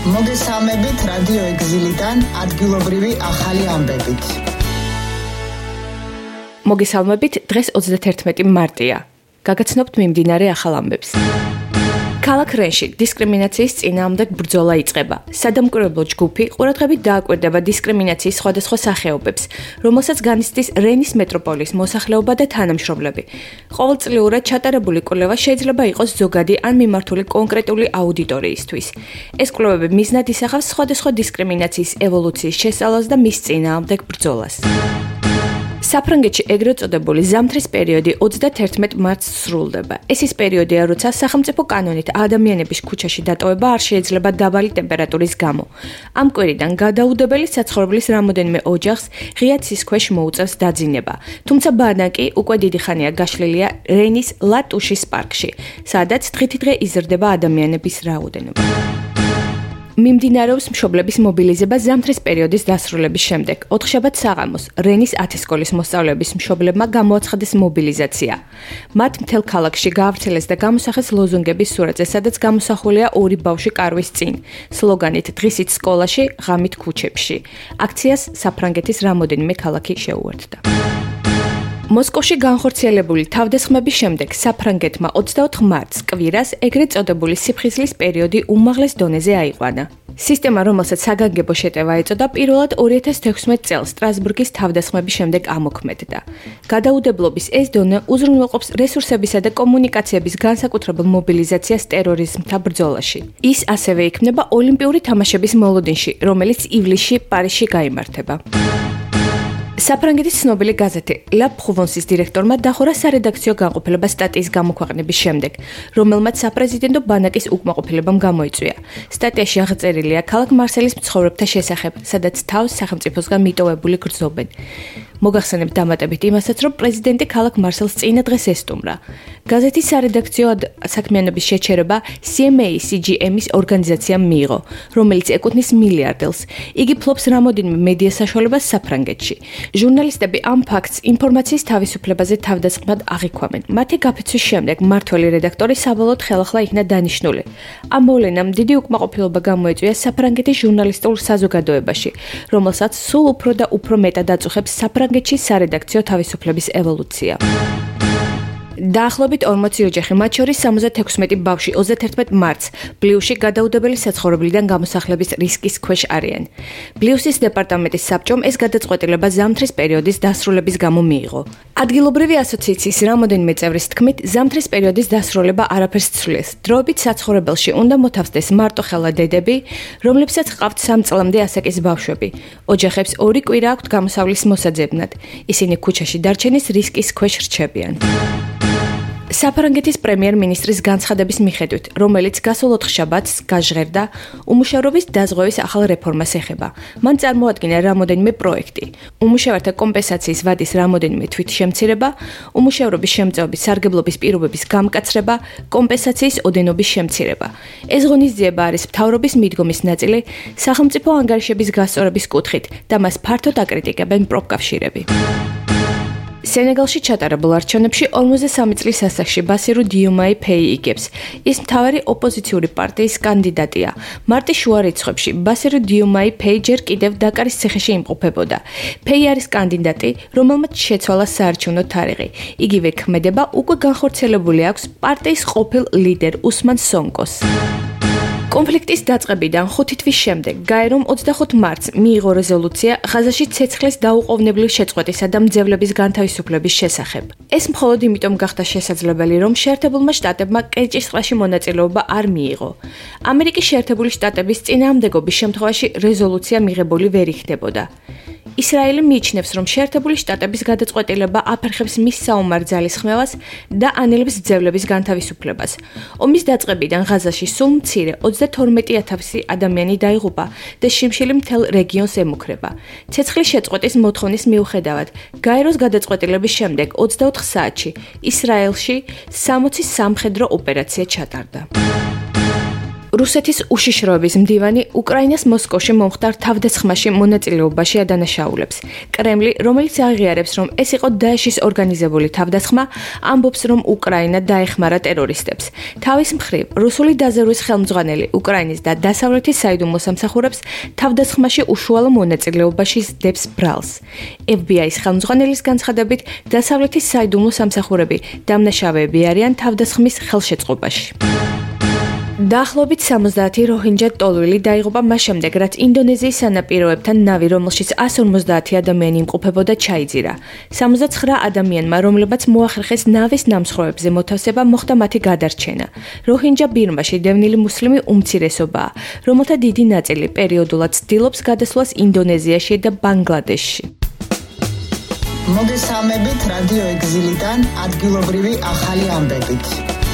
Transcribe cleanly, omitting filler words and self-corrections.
მოგესალმებით რადიო ეგზილიდან ადგილობრივი ახალი ამბებით. მოგესალმებით, დღეს 31 მარტია. გაგაცნობთ მიმდინარე ახალ ამბებს. ქალაქ რენში დისკრიმინაციის წინააღმდეგ ბრძოლა იწყება. სადამკვირვებლო ჯგუფი ყურადღებით დააკვირდება დისკრიმინაციის სხვადასხვა სახეობებს, რომელსაც განიცდის რენის მეტროპოლის მოსახლეობა და თანამშრომლები. ყოველწლიურად ჩატარებული კვლევა შეიძლება იყოს ზოგადი ან მიმართული კონკრეტული აუდიტორიისთვის. ეს კვლევები მიზნად ისახავს სხვადასხვა დისკრიმინაციის ევოლუციის შესწავლას და მის წინააღმდეგ ბრძოლას. საფრანგეთში ეგრეთ წოდებული ზამთრის პერიოდი 31 მარტს სრულდება. ეს ის პერიოდია, როცა სახელმწიფო კანონით ადამიანების ქუჩაში დატოვება არ შეიძლება დაბალი ტემპერატურის გამო. ამ კვირიდან გადაუდებელი საცხოვრებლის რამოდენიმე ოჯახს ღია ცის ქვეშ მოუწევს დაძინება. თუმცა ბანაკი უკვე დიდი ხანია გაშლილია რენის ლატუშის პარკში, სადაც დღითიდღე იზრდება ადამიანების რაოდენობა. მიმდინარეობს მშობლების მობილიზება ზამთრის პერიოდის დასრულების შემდეგ. ოთხშაბათ საღამოს რენის 10 სკოლის მოსწავლეების მშობლებმა გამოაცხადეს მობილიზაცია. მათ მთელ ქალაქში გაავრცელეს და გამოსახეს ლოზუნგების სურათზე, სადაც გამოსახულია ორი ბავშვი კარვის წინ, სლოგანით დღისით სკოლაში, ღამით ქუჩებში. აქციას საფრანგეთის რამოდენიმე ქალაქი შეუერთდა. მოსკოვში განხორციელებული თავდასხმების შემდეგ საფრანგეთმა 24 მარტს კვირას ეგრეთ წოდებული სიფხიზლის პერიოდი უმაღლეს დონეზე აიყვანა. სისტემა, რომელსაც საგანგებო შეტევა ეწოდა, პირველად 2016 წელს სტრასბურგის თავდასხმების შემდეგ ამოქმედდა. გადაუდებლობის ეს დონე უზრუნველყოფს რესურსებისა და კომუნიკაციების განსაკუთრებულ მობილიზაციას ტერორიზმთან ბრძოლაში. ის ასევე იქნება ოლიმპიური თამაშების მოლოდინში, რომელიც ივლისში პარიზში გაიმართება. საფრანგეთის ცნობილი გაზეთი La Provence-ის დირექტორმა დახურა სარედაქციო განყოფილება სტატიის გამოქვეყნების შემდეგ, რომელმაც საპრეზიდენტო ბანაკის უკმაყოფილებამ გამოიწვია. სტატიაში აღწერილია ქალაქ მარსელის მცხოვრებთა შესახებ, სადაც თავს სახელმწიფოსგან მიტოვებული გრძნობენ. მოგახსენებთ დამატებით იმასაც, რომ პრეზიდენტი ქალაქ მარსელს წინა დღეს ესტუმრა. გაზეთის სარედაქციო საქმიანობის შეჩერება CMA-CGM-ის ორგანიზაციამ მიიღო, რომელიც ეკუთვნის მილიარდელს. იგი ფლობს რამოდენიმე მედია საშუალებას საფრანგეთში. ჟურნალისტები ამ ფაქტს ინფორმაციის თავისუფლებაზე თავდასხმად აღიქვამენ. მათი გაფიცვის შემდეგ მმართველი რედაქტორი საბოლოოდ ხელახლა იქნა დანიშნული. ამ მოვლენამ დიდი უკმაყოფილება გამოიწვია საფრანგეთის ჟურნალისტურ საზოგადოებაში, რომელსაც სულ უფრო და უფრო მეტად აწუხებს საფრანგეთში სარედაქციო თავისუფლების ევოლუცია. დაახლოებით 40 ოჯახი, მათ შორის 76 ბავშვი 31 მარტს ბლიუსში გადაუდებელი საცხოვრებლიდან გამოსახლების რისკის ქვეშ არიან. ბლიუსის დეპარტამენტის საბჭომ ეს გადაწყვეტილება ზამთრის პერიოდის დასრულების გამო მიიღო. ადგილობრივი ასოციაციის რამოდენიმე წევრის თქმით, ზამთრის პერიოდის დასრულება არაფერს ცვლის. დროებით საცხოვრებელში უნდა მოთავსდეს მარტოხელა დედები, რომლებსაც ჰყავთ 3 წლამდე ასაკის ბავშვები. ოჯახებს 2 კვირა აქვთ გამოსავლის მოსაძებნად. ისინი ქუჩაში დარჩენის რისკის ქვეშ რჩებიან. საფრანგეთის პრემიერ-მინისტრის განცხადების მიხედვით, რომელიც გასულ ოთხშაბათს გაჟღერდა, უმუშევრობის დაზღვევის ახალ რეფორმას ეხება. მან წარმოადგინა რამოდენიმე პროექტი: უმუშევართა კომპენსაციის ვადის რამოდენიმე თვითშემცირება, უმუშევრობის შემწეობის სარგებლობის პირობების გამკაცრება, კომპენსაციის ოდენობის შემცირება. ეს ღონისძიება არის მთავრობის მიდგომის ნაწილი სახელმწიფო ანგარიშების გასწორების კუთხით და მას ფართოდ აკრიტიკებენ პროფკავშირები. სენეგალში ჩატარებულ არჩევნებში 53 წლის ასაკში ბასირუ დიომაი ფეი იგებს. ის მთავარი ოპოზიციური პარტიის კანდიდატია. მარტის შუა რიცხვებში ბასირუ დიომაი ფეი ჯერ კიდევ დაკარის ციხეში იმყოფებოდა. ფეი არის კანდიდატი, რომელმაც შეცვალა საარჩევნო თარიღი. იგივე ქმედება უკვე განხორციელებული აქვს პარტიის ყოფილ ლიდერ უსმან სონკოს. კონფლიქტის დაწყებიდან 5 თვის შემდეგ გაერომ 25 მარტს მიიღო რეზოლუცია ღაზაში ცეცხლის დაუყოვნებლივ შეწყვეტისა და მძევლების განთავისუფლების შესახებ. ეს მხოლოდ იმიტომ გახდა შესაძლებელი, რომ შეერთებულმა შტატებმა კერჩის ტბაში მონაწილეობა არ მიიღო. ამერიკის შეერთებული შტატების წინააღმდეგობის შემთხვევაში რეზოლუცია მიღებული ვერ იქნებოდა. ისრაელი მიიჩნევს, რომ შეერთებული შტატების გადაწყვეტილება აფერხებს მის საომარ ძალისხმევას და ანელებს მძევლების განთავისუფლებას. ომის დაწყებიდან ღაზაში სულ მცირე 32,000 ადამიანი დაიღუპა და შიმშილი მთელ რეგიონს ემუქრება. ცეცხლის შეწყვეტის მოთხოვნის მიუხედავად, გაეროს გადაწყვეტილების შემდეგ 24 საათში ისრაელში 60 სამხედრო ოპერაცია ჩატარდა. რუსეთის უშიშროების მდივანი უკრაინას მოსკოვში მომხდარ თავდასხმაში მონაწილეობაში ადანაშაულებს. კრემლი, რომელიც აღიარებს, რომ ეს იყო დაეშის ორგანიზებული თავდასხმა, ამბობს, რომ უკრაინა დაეხმარა ტერორისტებს. თავის მხრივ, რუსული დაზერვის ხელმძღვანელი უკრაინის და დასავლეთის საიდუმლო სამსახურებს თავდასხმაში უშუალო მონაწილეობაში სდებს ბრალს. FBI-ის ხელმძღვანელის განცხადებით, დასავლეთის საიდუმლო სამსახურები დამნაშავეები არიან თავდასხმის ხელშეწყობაში. დაახლოებით 70 როჰინჯა ტოლვილი დაიღუპა მას შემდეგ, რაც ინდონეზიის სანაპიროებთან ნავი, რომელშიც 150 ადამიანი იმყოფებოდა, ჩაიძირა. 79 ადამიანმა, რომლებმაც მოახერხეს ნავის ნამსხვრევებზე მოთავსება, მოხდა მათი გადარჩენა. როჰინჯა ბირმაში დევნილი მუსლიმი უმცირესობაა, რომელთა დიდი ნაწილი პერიოდულად ცდილობს გადასვლას ინდონეზიაში და ბანგლადეშში. მოგესალმებით რადიო ეგზილიდან ადგილობრივი ახალი ამბებით.